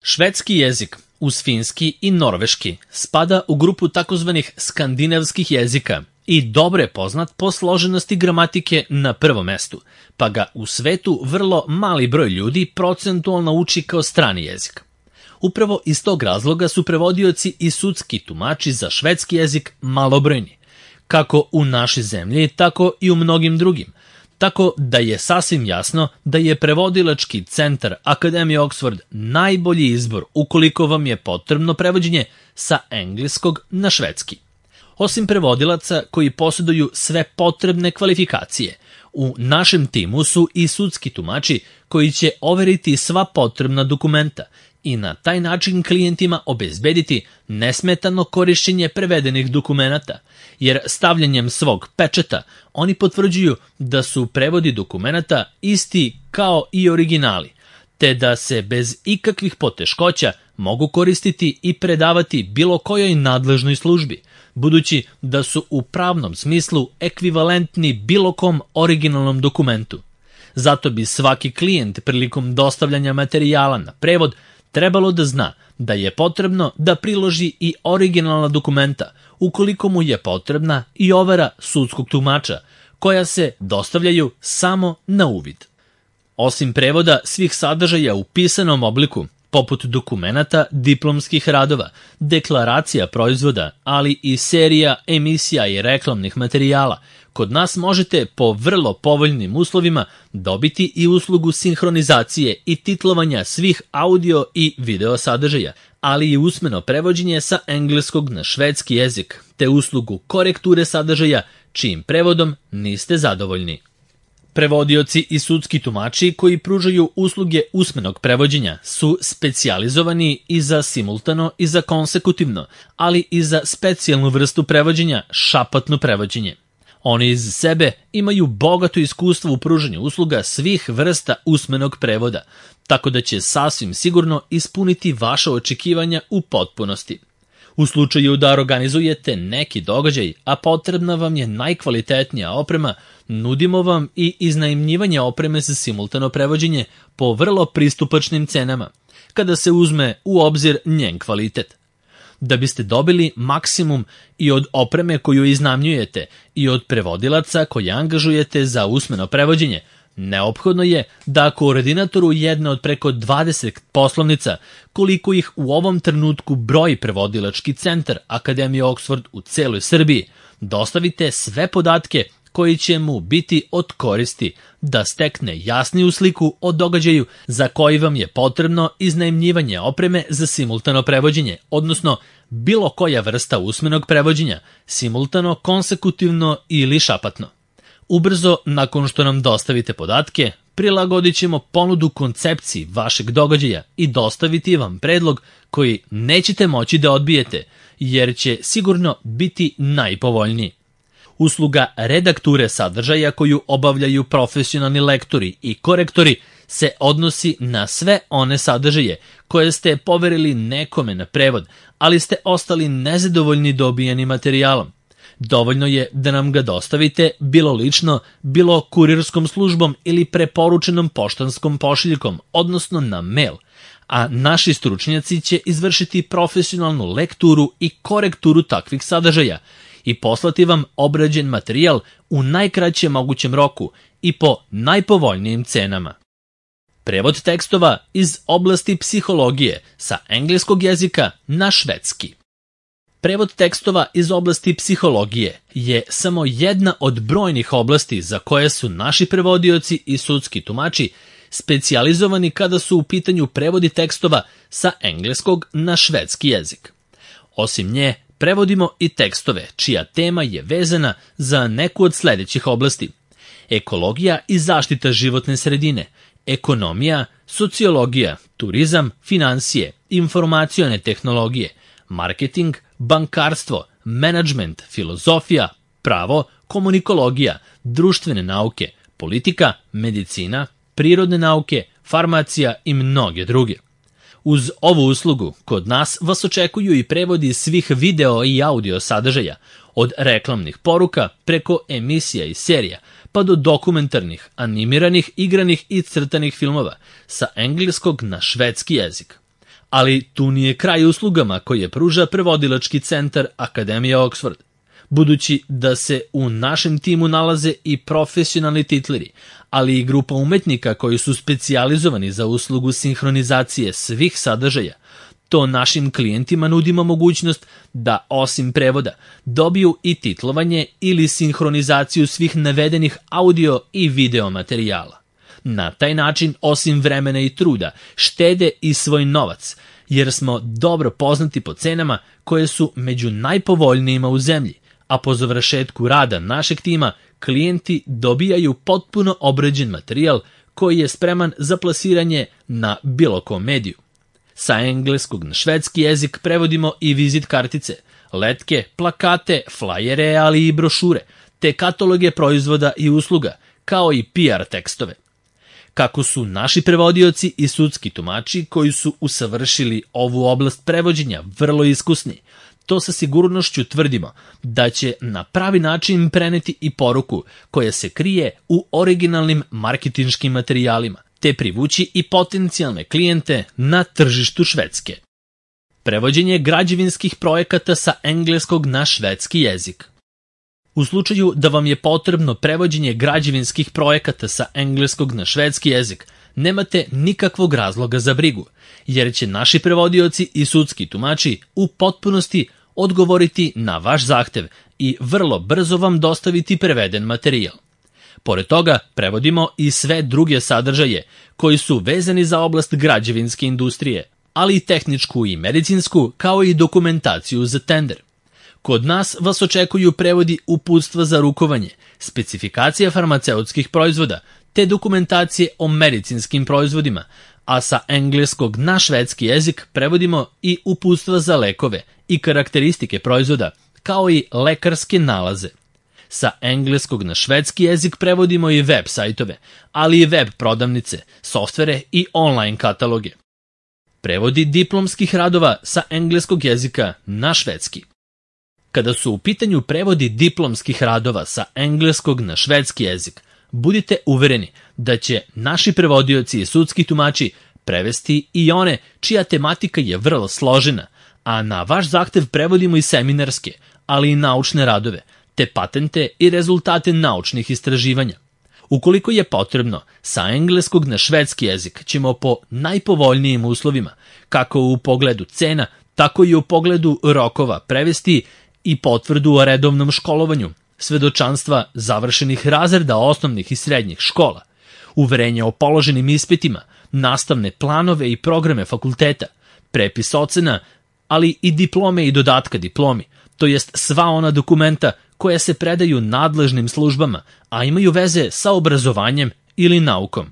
Švedski jezik, uz finski i norveški, spada u grupu takozvanih skandinavskih jezika i dobro je poznat po složenosti gramatike na prvom mestu, pa ga u svetu vrlo mali broj ljudi procentualno uči kao strani jezik. Upravo iz tog razloga su prevodioci i sudski tumači za švedski jezik malobrojni, kako u našoj zemlji, tako i u mnogim drugim, tako da je sasvim jasno da je prevodilački centar Akademije Oxford najbolji izbor ukoliko vam je potrebno prevođenje sa engleskog na švedski. Osim prevodilaca koji posjeduju sve potrebne kvalifikacije, u našem timu su i sudski tumači koji će overiti sva potrebna dokumenta i na taj način klijentima obezbediti nesmetano korišćenje prevedenih dokumenata, jer stavljanjem svog pečata oni potvrđuju da su prevodi dokumenata isti kao i originali, te da se bez ikakvih poteškoća mogu koristiti i predavati bilo kojoj nadležnoj službi, budući da su u pravnom smislu ekvivalentni bilo kom originalnom dokumentu. Zato bi svaki klijent prilikom dostavljanja materijala na prevod trebalo da zna da je potrebno da priloži i originalna dokumenta ukoliko mu je potrebna i overa sudskog tumača, koja se dostavljaju samo na uvid. Osim prevoda svih sadržaja u pisanom obliku, poput dokumenata, diplomskih radova, deklaracija proizvoda, ali i serija, emisija i reklamnih materijala, kod nas možete po vrlo povoljnim uslovima dobiti i uslugu sinhronizacije i titlovanja svih audio i video sadržaja, ali i usmeno prevođenje sa engleskog na švedski jezik, te uslugu korekture sadržaja čijim prevodom niste zadovoljni. Prevodioci i sudski tumači koji pružaju usluge usmenog prevođenja su specijalizovani i za simultano i za konsekutivno, ali i za specijalnu vrstu prevođenja, šapatno prevođenje. Oni iz sebe imaju bogato iskustvo u pružanju usluga svih vrsta usmenog prevoda, tako da će sasvim sigurno ispuniti vaše očekivanja u potpunosti. U slučaju da organizujete neki događaj, a potrebna vam je najkvalitetnija oprema, nudimo vam i iznajmljivanje opreme za simultano prevođenje po vrlo pristupačnim cenama, kada se uzme u obzir njen kvalitet. Da biste dobili maksimum i od opreme koju iznajmljujete i od prevodilaca koje angažujete za usmeno prevođenje, neophodno je da koordinatoru jedne od preko 20 poslovnica, koliko ih u ovom trenutku broji prevodilački centar Akademije Oxford u celoj Srbiji, dostavite sve podatke koji će mu biti od koristi da stekne jasniju sliku o događaju za koji vam je potrebno iznajmljivanje opreme za simultano prevođenje, odnosno bilo koja vrsta usmenog prevođenja, simultano, konsekutivno ili šapatno. Ubrzo, nakon što nam dostavite podatke, prilagodit ćemo ponudu koncepciji vašeg događaja i dostaviti vam predlog koji nećete moći da odbijete, jer će sigurno biti najpovoljniji. Usluga redakture sadržaja koju obavljaju profesionalni lektori i korektori se odnosi na sve one sadržaje koje ste poverili nekome na prevod, ali ste ostali nezadovoljni dobijenim materijalom. Dovoljno je da nam ga dostavite bilo lično, bilo kurirskom službom ili preporučenom poštanskom pošiljkom, odnosno na mail, a naši stručnjaci će izvršiti profesionalnu lekturu i korekturu takvih sadržaja i poslati vam obrađen materijal u najkraćem mogućem roku i po najpovoljnijim cenama. Prevod tekstova iz oblasti psihologije sa engleskog jezika na švedski. Prevod tekstova iz oblasti psihologije je samo jedna od brojnih oblasti za koje su naši prevodioci i sudski tumači specijalizovani kada su u pitanju prevodi tekstova sa engleskog na švedski jezik. Osim nje, prevodimo i tekstove čija tema je vezana za neku od sledećih oblasti: ekologija i zaštita životne sredine, ekonomija, sociologija, turizam, finansije, informacione tehnologije, marketing, bankarstvo, menadžment, filozofija, pravo, komunikologija, društvene nauke, politika, medicina, prirodne nauke, farmacija i mnoge druge. Uz ovu uslugu, kod nas vas očekuju i prevodi svih video i audio sadržaja, od reklamnih poruka preko emisija i serija, pa do dokumentarnih, animiranih, igranih i crtanih filmova sa engleskog na švedski jezik. Ali tu nije kraj uslugama koje pruža prevodilački centar Akademije Oxford. Budući da se u našem timu nalaze i profesionalni titleri, ali i grupa umetnika koji su specijalizovani za uslugu sinhronizacije svih sadržaja, to našim klijentima nudimo mogućnost da, osim prevoda, dobiju i titlovanje ili sinhronizaciju svih navedenih audio i video materijala. Na taj način, osim vremena i truda, štede i svoj novac, jer smo dobro poznati po cenama koje su među najpovoljnijima u zemlji, a po završetku rada našeg tima klijenti dobijaju potpuno obrađen materijal koji je spreman za plasiranje na bilo kom mediju. Sa engleskog na švedski jezik prevodimo i vizit kartice, letke, plakate, flajere, ali i brošure, te kataloge proizvoda i usluga, kao i PR tekstove. Kako su naši prevodioci i sudski tumači koji su usavršili ovu oblast prevođenja vrlo iskusni, to sa sigurnošću tvrdimo da će na pravi način preneti i poruku koja se krije u originalnim marketinškim materijalima, te privući i potencijalne klijente na tržištu Švedske. Prevođenje građevinskih projekata sa engleskog na švedski jezik. U slučaju da vam je potrebno prevođenje građevinskih projekata sa engleskog na švedski jezik, nemate nikakvog razloga za brigu, jer će naši prevodioci i sudski tumači u potpunosti odgovoriti na vaš zahtev i vrlo brzo vam dostaviti preveden materijal. Pored toga, prevodimo i sve druge sadržaje koji su vezani za oblast građevinske industrije, ali i tehničku i medicinsku, kao i dokumentaciju za tender. Kod nas vas očekuju prevodi uputstva za rukovanje, specifikacija farmaceutskih proizvoda, te dokumentacije o medicinskim proizvodima, a sa engleskog na švedski jezik prevodimo i uputstva za lekove i karakteristike proizvoda, kao i lekarske nalaze. Sa engleskog na švedski jezik prevodimo i web sajtove, ali i web prodavnice, softvere i online kataloge. Prevodi diplomskih radova sa engleskog jezika na švedski. Kada su u pitanju prevodi diplomskih radova sa engleskog na švedski jezik, budite uvereni da će naši prevodioci i sudski tumači prevesti i one čija tematika je vrlo složena, a na vaš zahtev prevodimo i seminarske, ali i naučne radove, te patente i rezultate naučnih istraživanja. Ukoliko je potrebno, sa engleskog na švedski jezik ćemo po najpovoljnijim uslovima, kako u pogledu cena, tako i u pogledu rokova prevesti i potvrdu o redovnom školovanju, svedočanstva završenih razreda osnovnih i srednjih škola, uverenja o položenim ispitima, nastavne planove i programe fakulteta, prepis ocena, ali i diplome i dodatka diplomi, to jest sva ona dokumenta koja se predaju nadležnim službama, a imaju veze sa obrazovanjem ili naukom.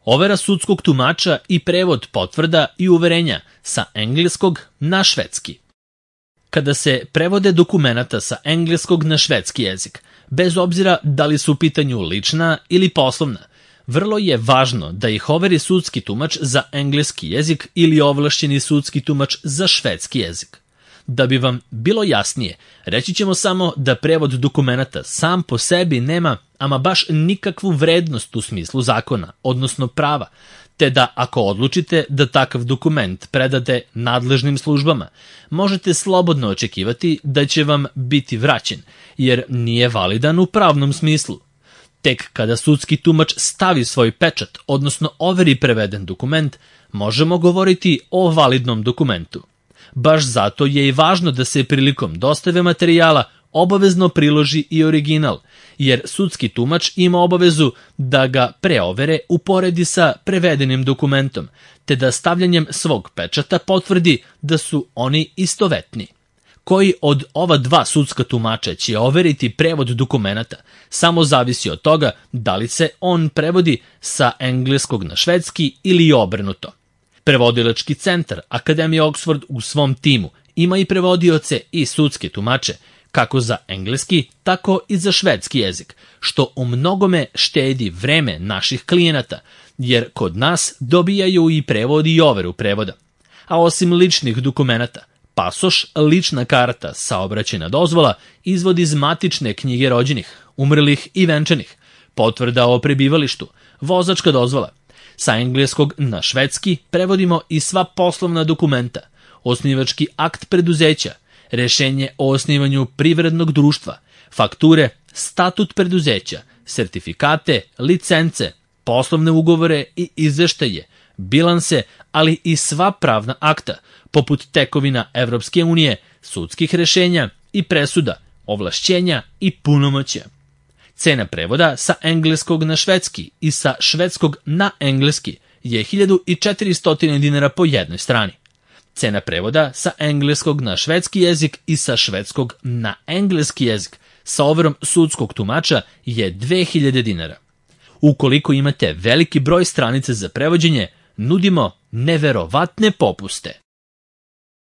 Overa sudskog tumača i prevod potvrda i uverenja sa engleskog na švedski. Kada se prevode dokumenata sa engleskog na švedski jezik, bez obzira da li su u pitanju lična ili poslovna, vrlo je važno da ih overi sudski tumač za engleski jezik ili ovlašćeni sudski tumač za švedski jezik. Da bi vam bilo jasnije, reći ćemo samo da prevod dokumenata sam po sebi nema ama baš nikakvu vrednost u smislu zakona, odnosno prava, te da ako odlučite da takav dokument predate nadležnim službama, možete slobodno očekivati da će vam biti vraćen, jer nije validan u pravnom smislu. Tek kada sudski tumač stavi svoj pečat, odnosno overi preveden dokument, možemo govoriti o validnom dokumentu. Baš zato je i važno da se prilikom dostave materijala obavezno priloži i original, jer sudski tumač ima obavezu da ga preovere uporedi sa prevedenim dokumentom, te da stavljanjem svog pečata potvrdi da su oni istovetni. Koji od ova dva sudska tumača će overiti prevod dokumenata, samo zavisi od toga da li se on prevodi sa engleskog na švedski ili obrnuto. Prevodilački centar Akademije Oxford u svom timu ima i prevodioce i sudske tumače, kako za engleski, tako i za švedski jezik, što u mnogome štedi vreme naših klijenata, jer kod nas dobijaju i prevod i overu prevoda. A osim ličnih dokumenata, pasoš, lična karta, saobraćajna dozvola, izvod iz matične knjige rođenih, umrlih i venčanih, potvrda o prebivalištu, vozačka dozvola, Sa engleskog na švedski prevodimo i sva poslovna dokumenta, osnivački akt preduzeća, rešenje o osnivanju privrednog društva, fakture, statut preduzeća, sertifikate, licence, poslovne ugovore i izveštaje, bilanse, ali i sva pravna akta, poput tekovina Evropske unije, sudskih rešenja i presuda, ovlašćenja i punomoćja. Cena prevoda sa engleskog na švedski i sa švedskog na engleski je 1400 dinara po jednoj strani. Cena prevoda sa engleskog na švedski jezik i sa švedskog na engleski jezik sa overom sudskog tumača je 2000 dinara. Ukoliko imate veliki broj stranica za prevođenje, nudimo neverovatne popuste.